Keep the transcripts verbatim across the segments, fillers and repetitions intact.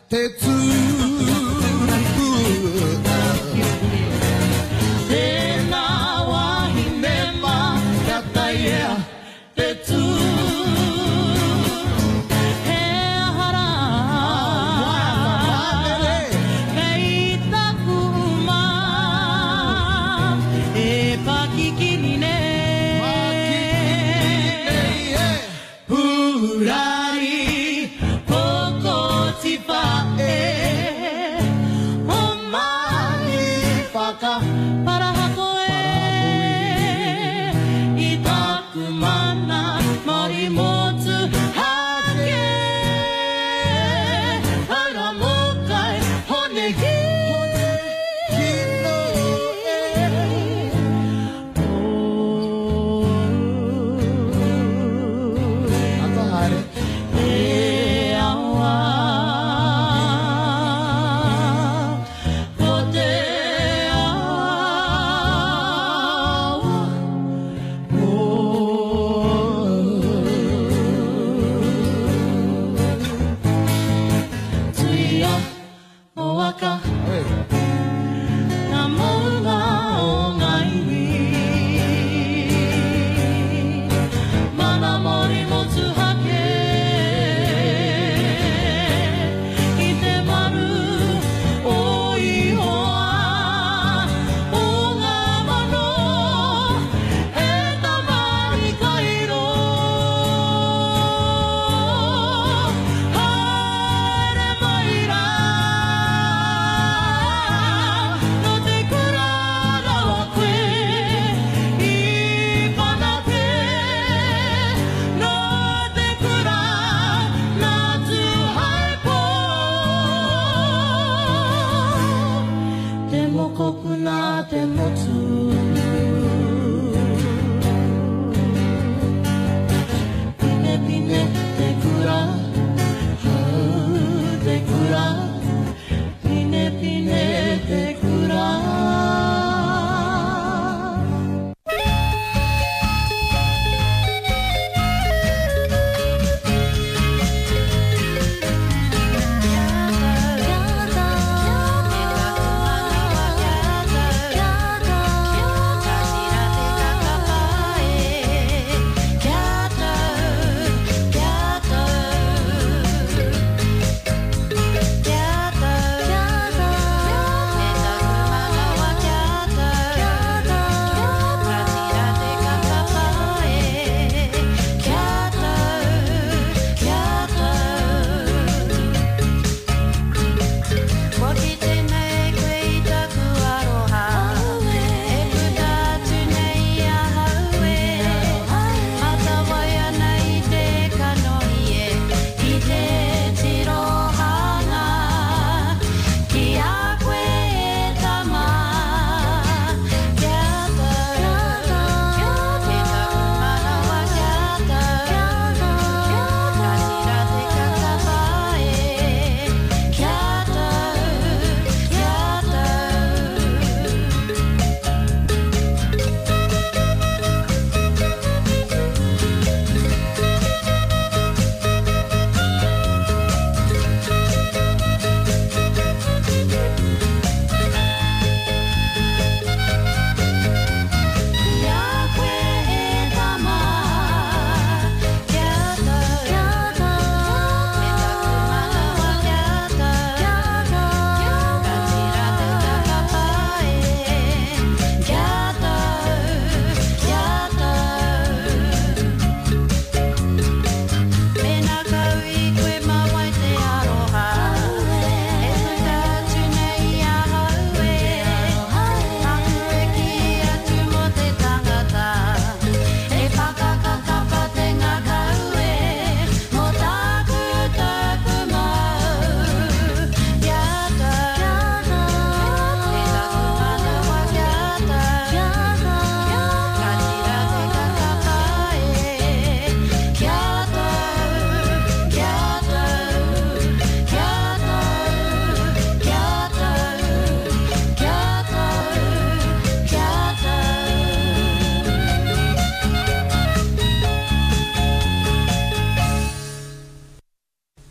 Te tū. Tēnā wahine mā, kia taiea te tū. He aha rā, kei taku uma, e pakikini nei. Pakikini nei, e. Purari, pokotiwha e.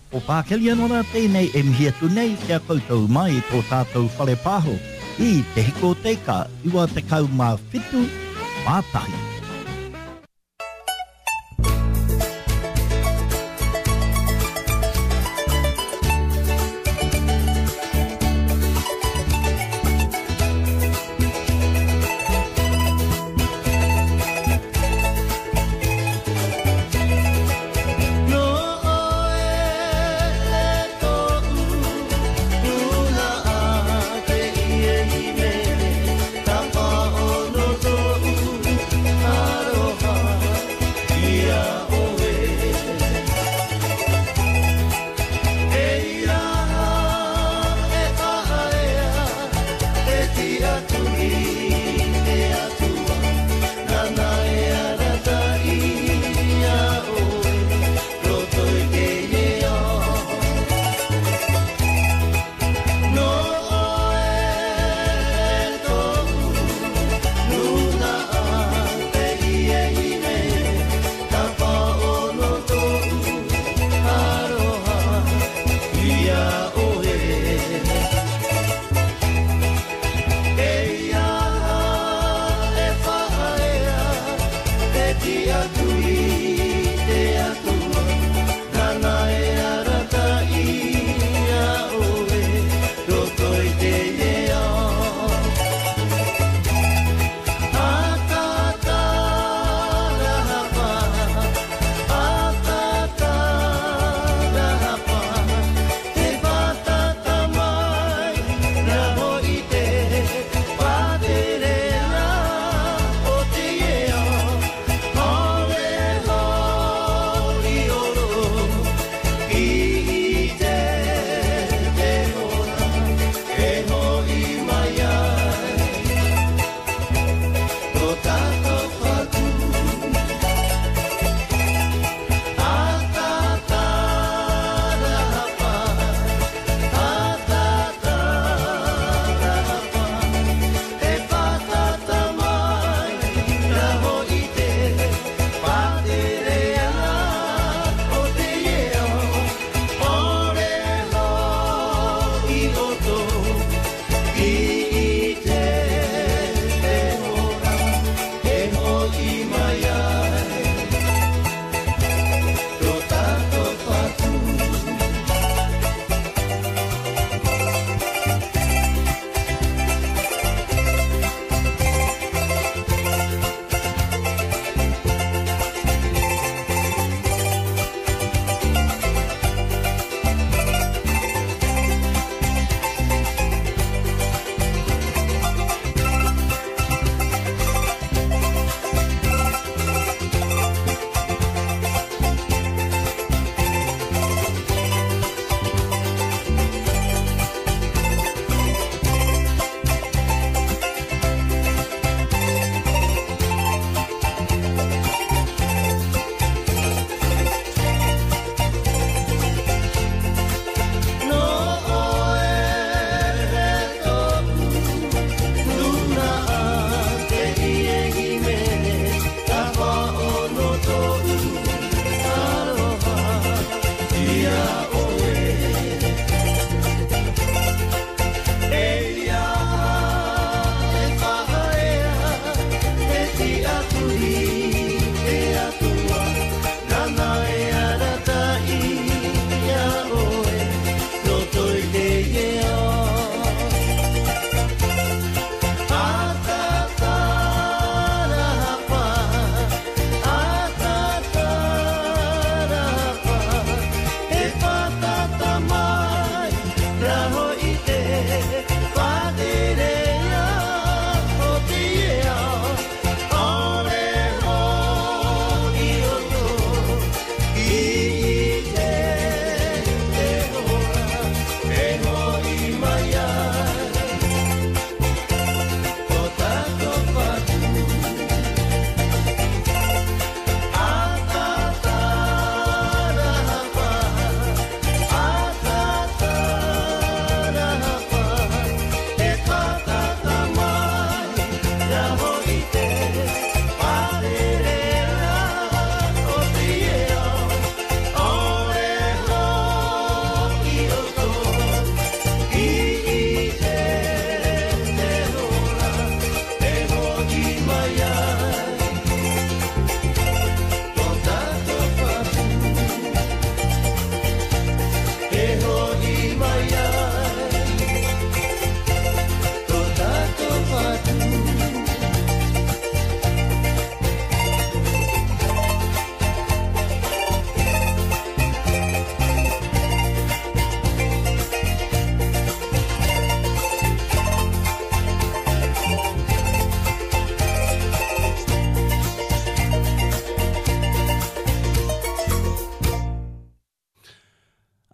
O Pākelianora tēnei e mihi atu nei ki a koutou mai i tō tātou whare pāho i Te Hiko o Te Ika iwa tekau mā whitu mā tahi. No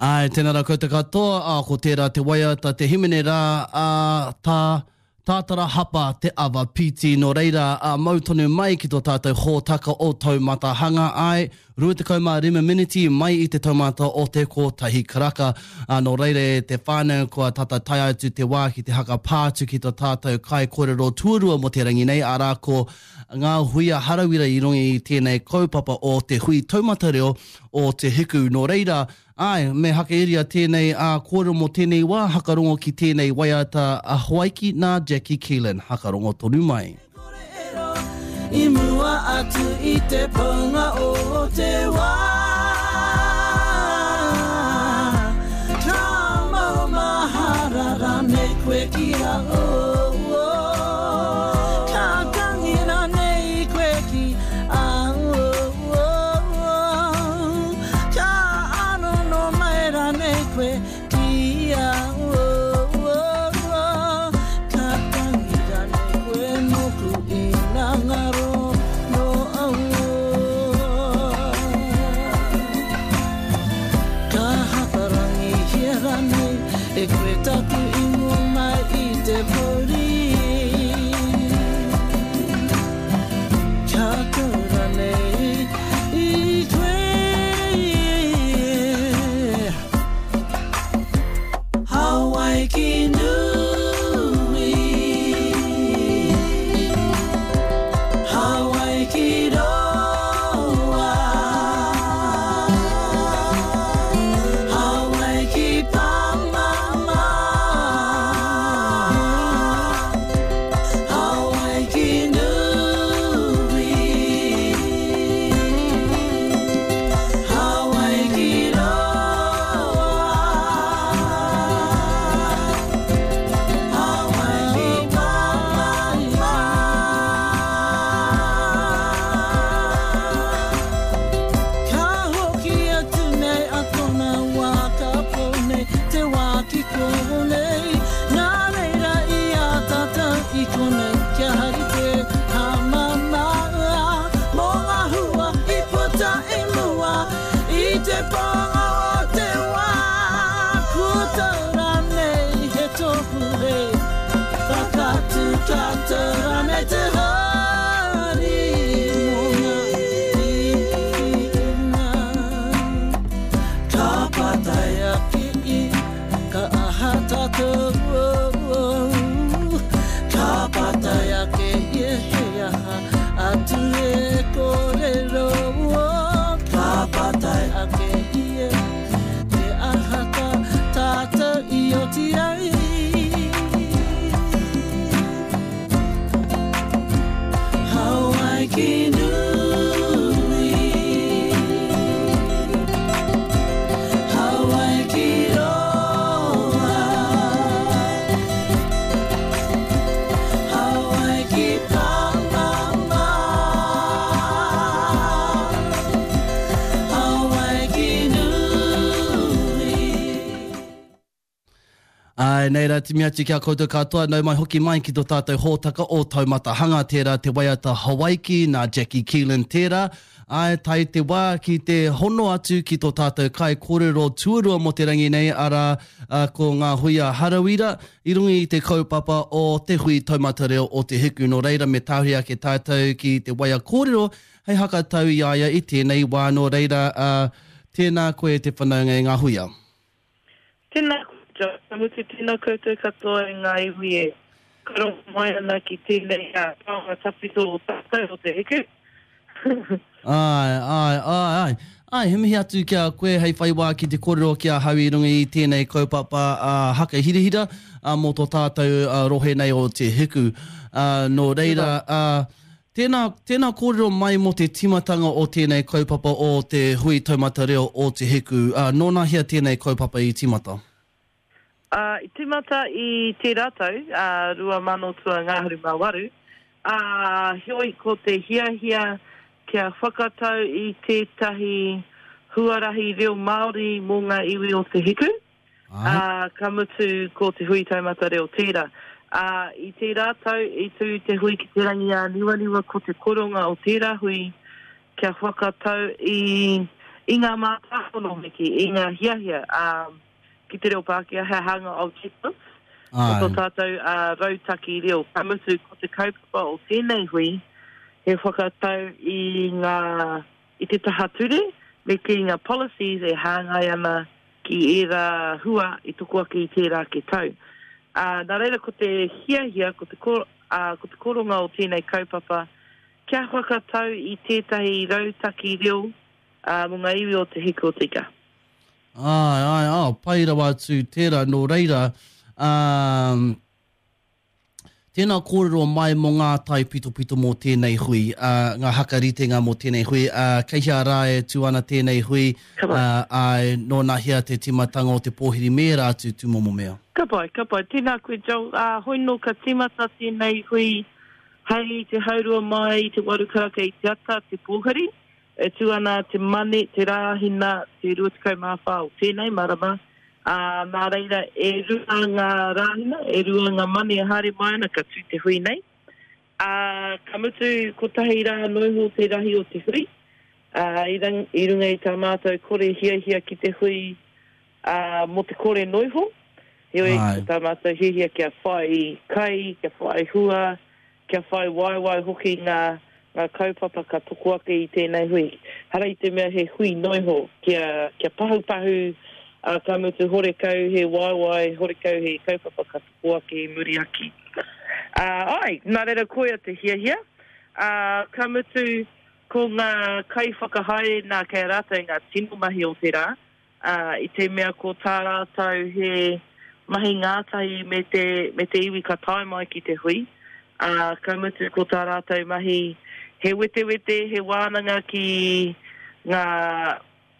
Ai, tēnā rā koutou katoa, ā, ko tērā te waiata, te himene rā, ā, tā, tātara hapa te awa piti. Nō reira, ā, mau tonu mai ki tō tātou hōtaka o Taumata Hanga, ai, rua tekau mā rima miniti mai i te taumata o te kotahi karaka. Ā, nō reira e te whānau kua tata tae atu te wā ki te haka pā atu ki tō tātou kai kōrero tuarua mō te rangi nei, arā ko ngā huia harawira i runga i tēnei kaupapa o te hui taumata reo o Te Hiku. Nō reira, ai, me hakairia tēnei ā kōrero mō tēnei wā, hakarongo ki tēnei waiata a Hawaiki nā Jackie Keelan. Hakarongo tonu mai. I mua atu i te paunga o te wā. Ka mau mahara rānei koe ki a o. Ka tangi rānei koe ki a o. Ka anono mai rānei koe ki a o. Ka tangi rānei koe moku ina ngaro no au. Ka hakarangi hia rānei e koe taku ingoa mai i te pori. Ka tau rānei i koe. Hawaiki nui, Hawaiki roa, Hawaiki pamama, Hawaiki nui, Hawaiki roa, Hawaiki pamama. Ka hoki atu nei a tōna wā ka pau nei, te wā ki konei. Nā reira i a tātou i konei, kia hari te hamama. Mō ngā hua i puta i mua, i te pānga o te wā. Kua tau rānei he tohu he, whakatu tātou rānei te hari. Mō ngā tīpuna. Ka pātai ake i, ka aha tātou. Ka pātai ake i he aha atu e kōrero. Ka pātai ake i e, te aha tā tātou i oti ai. Hawaiki nui, Hawaiki roa, Hawaiki pamama, Hawaiki nui. Ai, nei rā timi atu ki a koutou katoa, nau mai hoki mai ki tō tātou hōtaka o Taumata Hanga, tērā te waiata Hawaiki nā Jackie Keelan tērā. Ai, tai te wā ki te hono atu ki tō tātou kai kōrero tuarua mō te rangi nei, arā a, ko ngā huia harawira i runga i te kaupapa o te hui taumata reo o Te Hiku. Nō reira me tāhuri ake tātou ki te waia kōrero hei hakatau i a ia i tēnei wā. Nō reira, a, tēnā koe te whanaunga i ngā huia. Tēnā koutou, ka mutu tēnā koutou katoa i ngā iwi e karongo mai ana ki tēnei uh, taonga tawhito o tātou o Te Hiku. Ai, ai, ai, ai. Ai, he mihi atu ki a koe hei whai wā ki te kōrero ki a hau i runga i tēnei kaupapa uh, haka hirahira uh, mō tō tātou uh, rohe nei o Te Hiku. Uh, nō reira, uh, tēnā, tēnā kōrero mai mō te timatanga o tēnei kaupapa o te hui taumata reo o Te Hiku. Uh, nōna hea tēnei kaupapa i timata? Uh, i timata i tērā tau, uh, rua mano tua ngahuru mā waru, uh, heoi ko te hiahia kia whakatau i tētahi huarahi reo Māori mō ngā iwi o Te Hiku. Ai. Uh, ka mutu ko te hui taumata reo tērā. Uh, i tērā tau, i tū te hui ki te rangi ā niwaniwa ko te koronga o tērā hui kia whakatau i, i ngā mātāpono me kī, i ngā hiahia um, ki te reo Pākehā, he hanga objectives, o tō tātou uh, rautaki reo. Ka mutu, ko te kaupapa o tēnei hui, he whakatau i ngā, i te taha ture, me ki ngā policies e hāngai ana ki ērā hua i toko ake i tērā ke tau. Uh, nā reira ko te hiahia, ko te, kor, uh, ko te koronga o tēnei kaupapa, kia whakatau i tētahi rautaki reo uh, mō ngā iwi o Te Hiku o Te Ika. Ai, ai, ai, pai rawa atu tērā, nō reira, um, tēnā kōrero mai mō ngā taipitopito mō tēnei hui, uh, ngā hakaritenga mō tēnei hui, uh, kei hea rā e tū ana tēnei hui, uh, ai, nō nā hea te timatanga o te pōhiri me rā atu tūmomo mea. Ka pai, ka pai. Tēnā koe, Joel. Uh, hoi nō ka tīmata tēnei hui hei te haurua mai i te waru karaka i te ata, te pōhiri. E tū ana te mane, te rāhina, te rua tekau mā whā o tēnei marama. Uh, nā reira, e rua ngā rāhina, e rua ngā mane e haere mai ana ka tū te hui nei. Uh, ka mutu kotahi rā noiho te rahi o te hui. Uh, i, rang, i runga i tā mātou kore hiahia ki te hui uh, mō te kore noiho. Heoi, ko tā mātou hiahia kia whai kai, kia whai hua, kia whai waiwai hoki ngā, ngā kaupapa ka toko ake i tēnei hui. Hara i te mea he hui noiho, kia, kia pahupahu, uh, ka mutu horekau he waiwai, horekau he kaupapa ka toko ake i muri ake. Uh, ai, nā reira koia te hiahia. Uh, ka mutu ko ngā kaiwhakahaere nā kei a rātou ngā tino mahi o te rā, uh, i te mea ko tā rātou he mahi ngātahi me te, me te iwi ka tae mai ki te hui. Uh, ka mutu ko tā rātou mahi he wetewete, he wānanga ki ngā,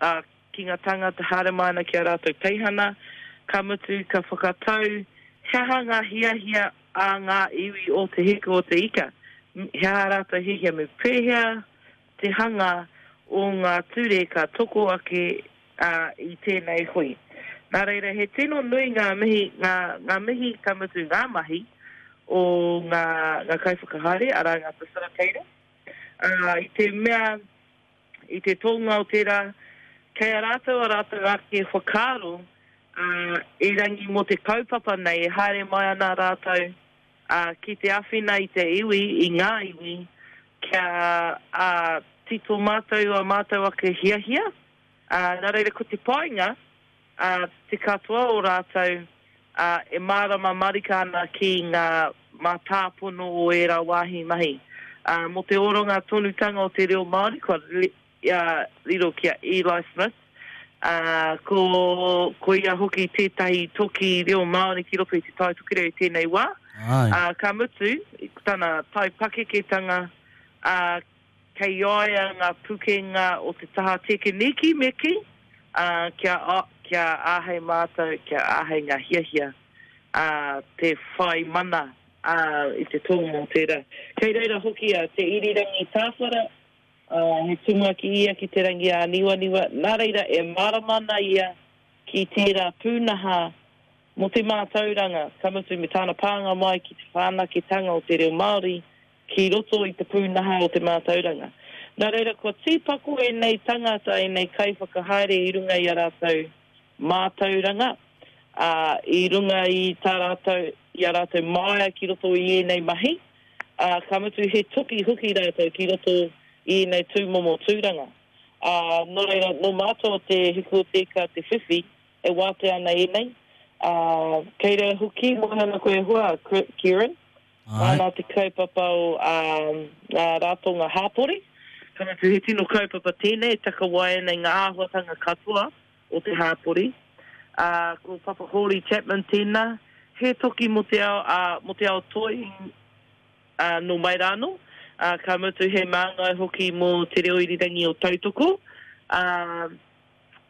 uh, ki ngā tangata haere mai ana ki a rātou teihana. Ka mutu ka whakatau he aha ngā hiahia a ngā iwi o Te Hiku o Te Ika. He aha rātou hiahia me pēhea te hanga o ngā ture ka toko ake uh, i tēnei hui. Nā reira, he tino nui ngā mihi, ngā, ngā mihi ka mutu ngā mahi o ngā, ngā kaiwhakahaere, arā ngā facilitators. Uh, i te mea, i te tōnga o tērā, kei a rātou a rātou ake whakaaro uh, erangi mō te kaupapa nei e haere mai ana rātou uh, ki te awhina i te iwi, i ngā iwi, kia uh, tito mātou a mātou ake hiahia. Uh, nā reira ko te painga, uh, te katoa o rātou uh, e mārama marika ana ki ngā mātāpono o ērā wāhi mahi. Uh, mō te oronga tonutanga o te reo Māori, kua li, uh, riro ki a Eli Smith, uh, ko, ko ia hoki tētahi toki reo Māori ki roto i te Tai Tokerau i tēnei wā. Ai. Uh, ka mutu, tana tai pakeketanga, uh, kei a ia ngā pukenga o te taha tekeniki me ki, uh, kia, uh, kia āhei mātou, kia āhei ngā hiahia, uh, te whai mana uh, i te tōnga o tērā. Kei reira hoki a Te Irirangi Tāwhara, uh, he tumuaki ia ki te rangi a niwaniwa, nā reira e mārama ana ia ki tērā pūnaha mō te mātauranga, ka mutu me tāna pānga mai ki te whanaketanga o te reo Māori, ki roto i te pūnaha o te mātauranga. Nā reira, kua tīpako ēnei tangata, ēnei kaiwhakahaere i runga i a rātou mātauranga, uh, i runga i tā rātou, i a rātou māia ki roto i ēnei mahi, uh, ka mutu he toki hoki rātou ki roto i ēnei tūmomo tūranga. Uh, nō reira, nō mātou o Te Hiku o Te Ika te whiwhi, e wātea ana ēnei. Uh, kei reira hoki, moe ana koe hoa, Kieran, nā te kaupapa o um, ngā ratonga hāpori. Ka mutu he tino kaupapa tēnei, takawai ana i ngā āhuatanga katoa o te hāpori. Uh, ko Papa Hori Chapman tēnā, he toki mō te ao, uh, mō te ao toi uh, nō mai rānō. Uh, ka mutu he māngai hoki mō te reo irirangi o Tautoko. Uh,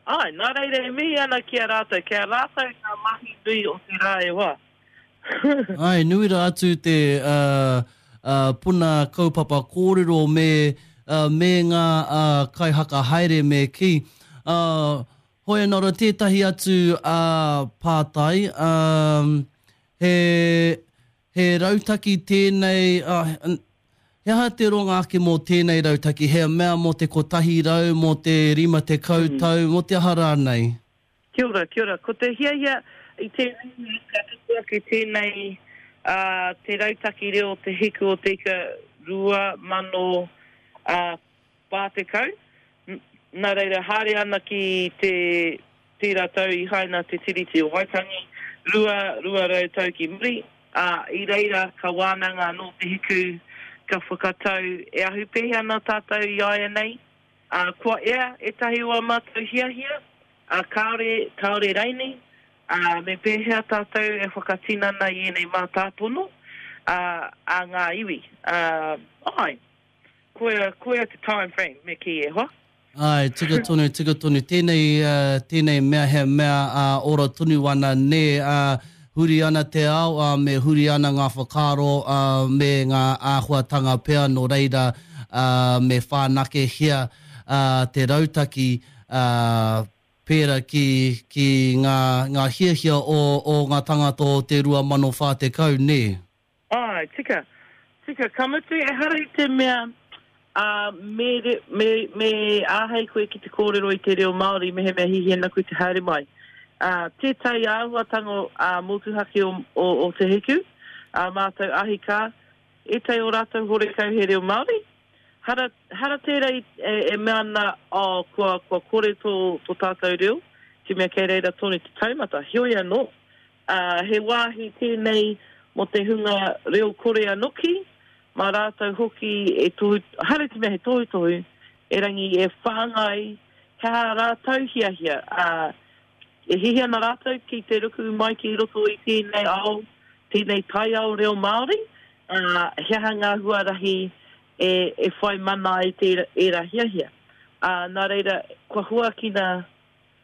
ai, nā reira e mihi ana ki a rātou, ki a rātou ngā mahi nui o te rā e wā. Ai, nui rā atu te uh, uh, puna kaupapa kōrero me, uh, me ngā uh, kaihaka haere me ki. Uh, hoi anō tētahi atu uh, pātai, um, he, he rautaki tēnei, uh, He aha te ronga ake mō tēnei rautaki? He mea mō te kotahi rau, mō te rima tekau tau, mō te aha rānei? Kia ora, kia ora. Ko te hiahia i tēnei wā, ka tupu ake tēnei ā, te rautaki reo o Te Hiku o Te Ika rua mano ā, whā tekau. Nā reira, haere ana ki te, tērā tau i haina te Tiriti o Waitangi, rua, rua rau tau ki muri, ā, i reira ka wānanga anō Te Hiku, ka whakatau e ahu pēhea ana tātou i āianei, ā, kua ea ētahi o ā mātou hiahia, ā, kāore, kāore raini, ā, me pēhea tātou e whakatinana i ēnei mātāpono, ā, a ngā iwi, ā, āe. Koia, koia te time frame, me kī e hoa. Āe, tika tonu, tika tonu. Tēnei, uh, tēnei mea he mea uh, ora tonu ana, nē, uh, huri ana te ao, uh, me huri ana ngā whakaaro, uh, me ngā āhuatanga pea, nō reira, uh, me whanakehia uh, te rautaki, uh, pērā ki, ki ngā, ngā hiahia o, o ngā tangata o te rua mano whā tekau, nē? Āe, tika. Tika, ka mutu, ehara i te mea, ā, me, me, me āhei koe ki te kōrero i te reo Māori mehemea hiahia ana koe te haere mai. Ā, tētahi āhuatanga, ā, motuhake o, o, o Te Hiku, ā mātou ahi kā, ētahi o rātou horekau he reo Māori. Hara, hara tērā i, e, e mea ana, oh, kua, kua kore tō, tō tātou reo, te mea kei reira tonu te taumata. Heoi anō, ā, he wāhi tēnei mō te hunga reo kore anoki, mā rātou hoki e tohu, hara te mea he tohutohu, erangi e whāngai, he aha rātou hiahia, ā, e hiahia ana rātou ki te ruku mai ki roto i tēnei ao, tēnei taiao reo Māori, ā, he aha ngā huarahi e, e whai mana ai tērā, ērā hiahia. Ā, nā reira, kua huakina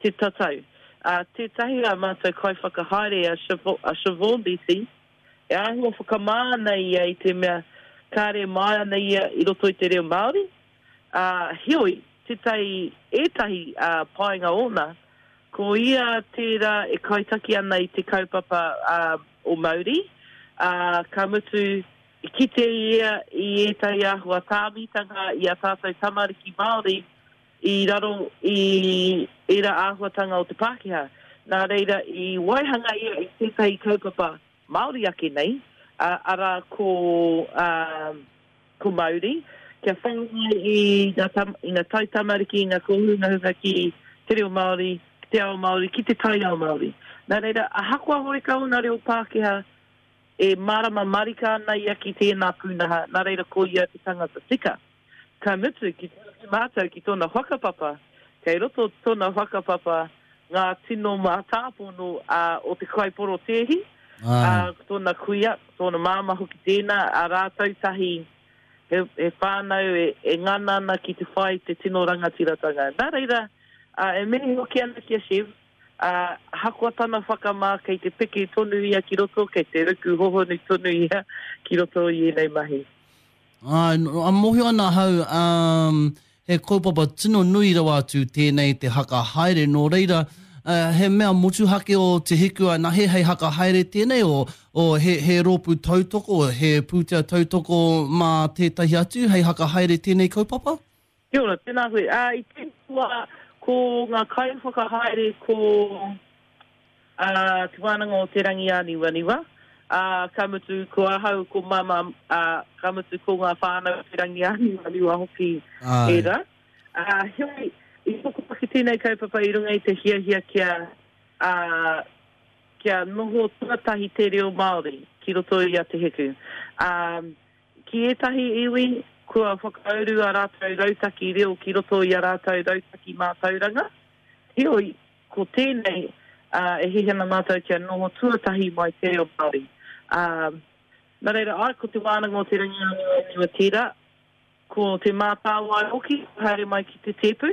te tatau. Ā, tētahi a mātou kaiwhakahaere a Siobhan, a Siobhan Beattie, e āhua whakamā ana ia i te mea kāre mai ana ia i roto i te reo Māori. Ā, heoi, tētahi, ētahi ā, painga ōna, ko ia tērā e kaitaki ana i te kaupapa ā, o Mauri, ā, ka mutu i kite ia i ētahi āhua tāmitanga i a tātou tamariki Māori i raro i ērā āhuatanga o te Pākehā. Nā reira, i waihanga ia i tētahi kaupapa Māori ake nei, ā, arā ko, ā, ko Mauri, kia whāngai i ngā, tam, i ngā taitamariki, i ngā kōhungahunga ki te reo Māori, ki te ao Māori, ki te taiao Māori. Nā reira, ahakoa horekau ōna reo Pākehā, e mārama marika ana ia ki tēnā pūnaha, nā reira ko ia te tangata tika. Ka mutu, ki te mātou ki tōna whakapapa, kei roto tōna whakapapa ngā tino mātāpono uh, o te kaiporotēhi, uh, tōna kuia, tōna māma hoki tēnā, a rātou tahi he, he whānau e, e ngana ana ki te whai te tino rangatiratanga. Nā reira, uh, e mihi hoki ana ki a Shiv, uh, ahakoa tana whakamā kei te piki tonu ia ki roto, kei te ruku hohonu tonu ia ki roto i ēnei mahi. Ā, a mōhio ana ahau, um, he kaupapa tino nui rawa atu tēnei te haka haere, nō reira, uh, he mea motuhake o Te Hiku anahe hei haka haere tēnei, o, o he, he rōpū tautoko, he pūtea tautoko mā tētahi atu hei haka haere tēnei kaupapa? Kia ora, tēnā koe. Ā, i tēnei wā, ko ngā kaiwhakahaere ko ā, Te Wānanga o Te Rangiāniwaniwa, ā, ka mutu ko ahau, ko Mama, ā, ka mutu ko ngā whānau o Te Rangiāniwaniwa hoki Āe. ērā. Ā, heoi, i toko ake tēnei kaupapa i runga i te hiahia kia, ā, kia noho tuatahi te reo Māori ki roto i a Te Hiku. Ā, ki ētahi iwi, kua whakauru a rātou rautaki reo ki roto i a rātou rautaki mātauranga. Heoi, ko tēnei, ā, e hiahia ana mātou kia noho tuatahi mai te reo Māori. Ā, nā reira, ai, ko Te Wānanga o Te Rangiāniwaniwa tērā, ko Te Mātāwai hoki, haere mai ki te tēpu.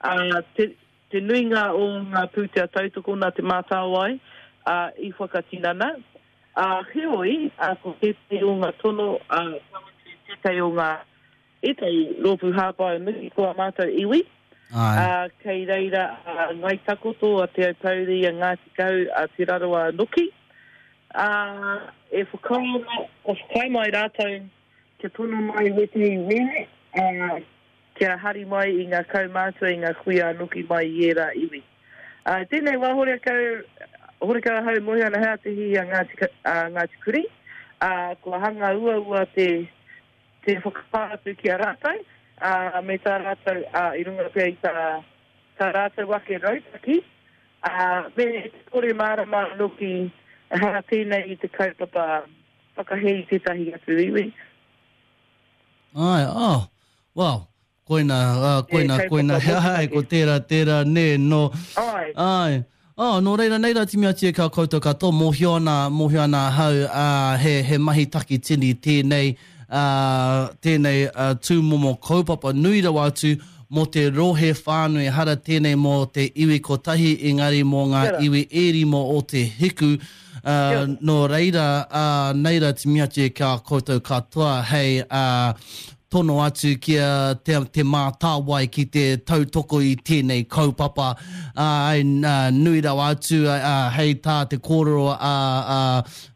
Ā, te, te nuinga o ngā pūtea tautoko nā Te Mātāwai, ā, i whakatinana. Ā, heoi, ā, ko tētahi o ngā tono, ā, ka mutu tētahi o ngā, ētahi rōpū hāpai nui ko ā mātou iwi. Āe. Ā, kei reira a Ngai Takoto, a Te Aupōuri, a Ngāti Kahu, a Te Rarawa noki. Ā, e whakaae ana, kua whakaae mai rātou kia tono mai wētehi wēne, ā, kia hari mai i ngā kaumātua, i ngā kuia anoki mai i ērā iwi. Ā, tēnei wā horekau, horekau ahau e mōhio ana he aha te hihi a Ngāti, a Ngāti Kuri, ā, kua hanga uaua te, te whakapā atu ki a rātou, ā, me tā rātou, ā, i runga pea i tā, tā rātou ake rautaki, ā, me te kore mārama anoki ehara tēnei i te kaupapa whakahē i tētahi atu iwi. Āe, oh, well, koina, uh, koina, koina, āe, ko tērā, tērā, nē, nō. Āe. Āe. Oh, nō reira, nei rā timi atu e kā koutou katoa, mōhio ana, mōhio ana ahau, ā, he, he mahi takitini tēnei, ā, tēnei uh, tūmomo kaupapa nui rawa atu mō te rohe whānui, ehara tēnei mō te iwi kotahi, engari mō ngā iwi e rima o te hiku, ā, nō reira, ā, nei rā timi atu e kā koutou katoa hei, ā, tono atu ki a Te, Te Mātāwai ki te tautoko i tēnei kaupapa, ā, nui rawa atu, ā, hei tā te kōrero a, a,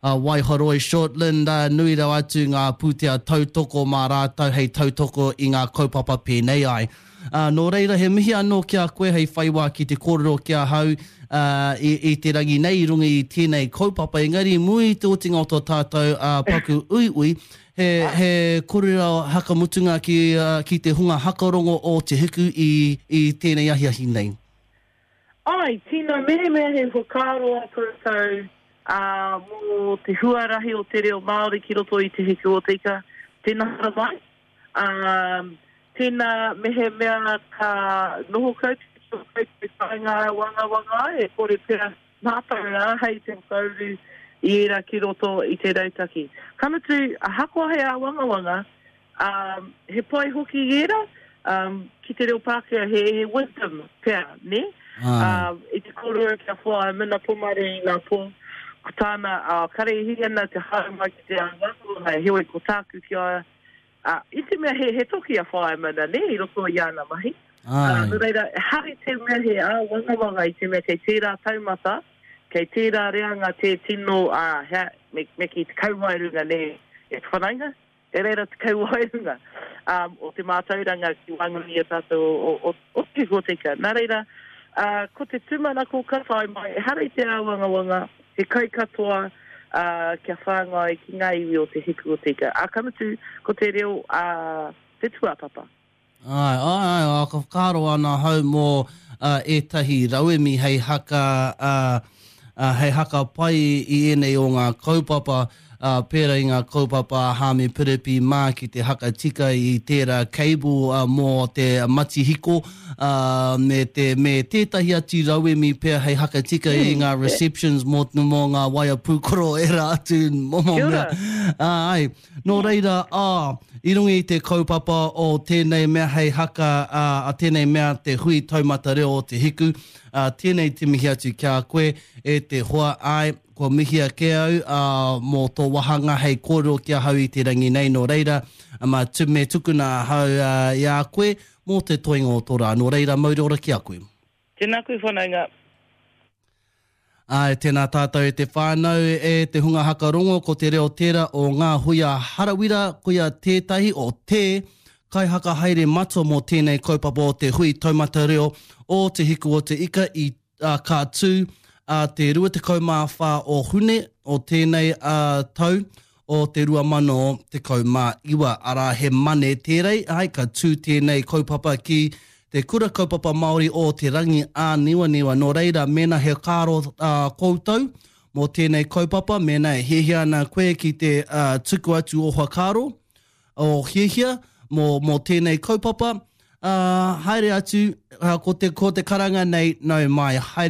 a Waihoroi Shortland, ā, nui rawa atu ngā pūtea tautoko mā rātou hei tautoko i ngā kaupapa pēnei ai. Ā, nō reira, he mihi anō ki a koe hei whai wā ki te kōrero ki ahau, ā, i, i te rangi nei i runga i tēnei kaupapa, engari i mua i te otinga o tō tātou, ā, paku uiui, He, he korero hakamutunga ki, ki te hunga hakarongo o Te Hiku i, i tēnei ahiahi nei. Āe, tino mehemea he whakaaro a koutou, ā, mō te huarahi o te reo Māori ki roto i Te Hiku o Te Ika, tēnā haramai, ā, tēnā mehemea ka noho koutou ki ō koutou kāinga āwangawanga ai, e kore pea mātou e āhei te whakauru i ērā ki roto i te rautaki. Ka mutu, ahakoa he āwangawanga, ā, he pai hoki ērā, ā, ki te reo Pākehā he, he wisdom pea, nē? Ā, i te kōrero kia whai Mina Pomare i ngā pō, ko tāna, ā, kare i hī ana te haere mai ki te āwangawanga, heoi ko tāku ki a ia, ā, i te mea he, he toki a Whaea Mina, nē, i roto i āna mahi. Ā, nō reira, ehara i te mea he āwangawanga i te mea kei tērā taumata, Kei tērā reanga tē tino, ā, hea, me, me kī te kauwaerunga, nē, e te whanaunga? Kei reira te kauwaerunga, ā, o te mātauranga ki waenganui i a tātou o, o, o, o te hōteka. Nā reira, ā, ko te tūmanako ka tae mai, ehara i te āwangawanga, he kai katoa, ā, kia whāngai ki ngā iwi o te hiku o te ika. Ā, ka mutu, ko te reo, ā, te tūāpapa. Āe, āe, āe, ā, ka whakaaro ana ahau mō ētahi rauemi hei haka, ā, ā, hei haka pai i ēnei o ngā kaupapa, ā, pērā i ngā kaupapa a Haami Piripi mā ki te haka tika i tērā cable, ā, mō te matihiko, ā, me te, me tētahi atu rauemi pea hei haka tika i ngā receptions mō, mō ngā waea pūkoro ērā atu momo mea. Ā, āe. Nō reira, ā, i runga i te kaupapa o tēnei mea hei haka, ā, a tēnei mea te hui taumata reo o Te Hiku, ā, tēnei te mihi atu ki a koe, e te hoa, āe, kua mihia kē au, ā, mō tō wāhanga hei kōrero ki ahau i te rangi nei, nō reira, mā, me tukuna ahau, ā, i a koe, mō te toenga o tō rā. Nō reira, mauri ora ki a koe. Tēnā koe whanaunga. Āe, tēnā tātou e te whānau, e te hunga haka rongo, ko te reo tērā o Ngā Huia Harawira, koia tētahi o te kaihakahaere matua mō tēnei kaupapa o te Hui Taumata Reo o Te Hiku o Te Ika i, ā, ka tū ā te rua tekau mā whā o Hune o tēnei ā, tau o te rua mano tekau mā iwa, arā he Mane tērei, āe, ka tū tēnei kaupapa ki Te Kura Kaupapa Māori o Te Rangi Āniwaniwa. Nō reira, mēnā he whakaaro koutou mō tēnei kaupapa, mēnā e hiahia ana koe ki te tuku atu ō whakaaro, ō hiahia mō, mō tēnei kaupapa, haere atu, ko te, ko te karanga nei, nau mai, haere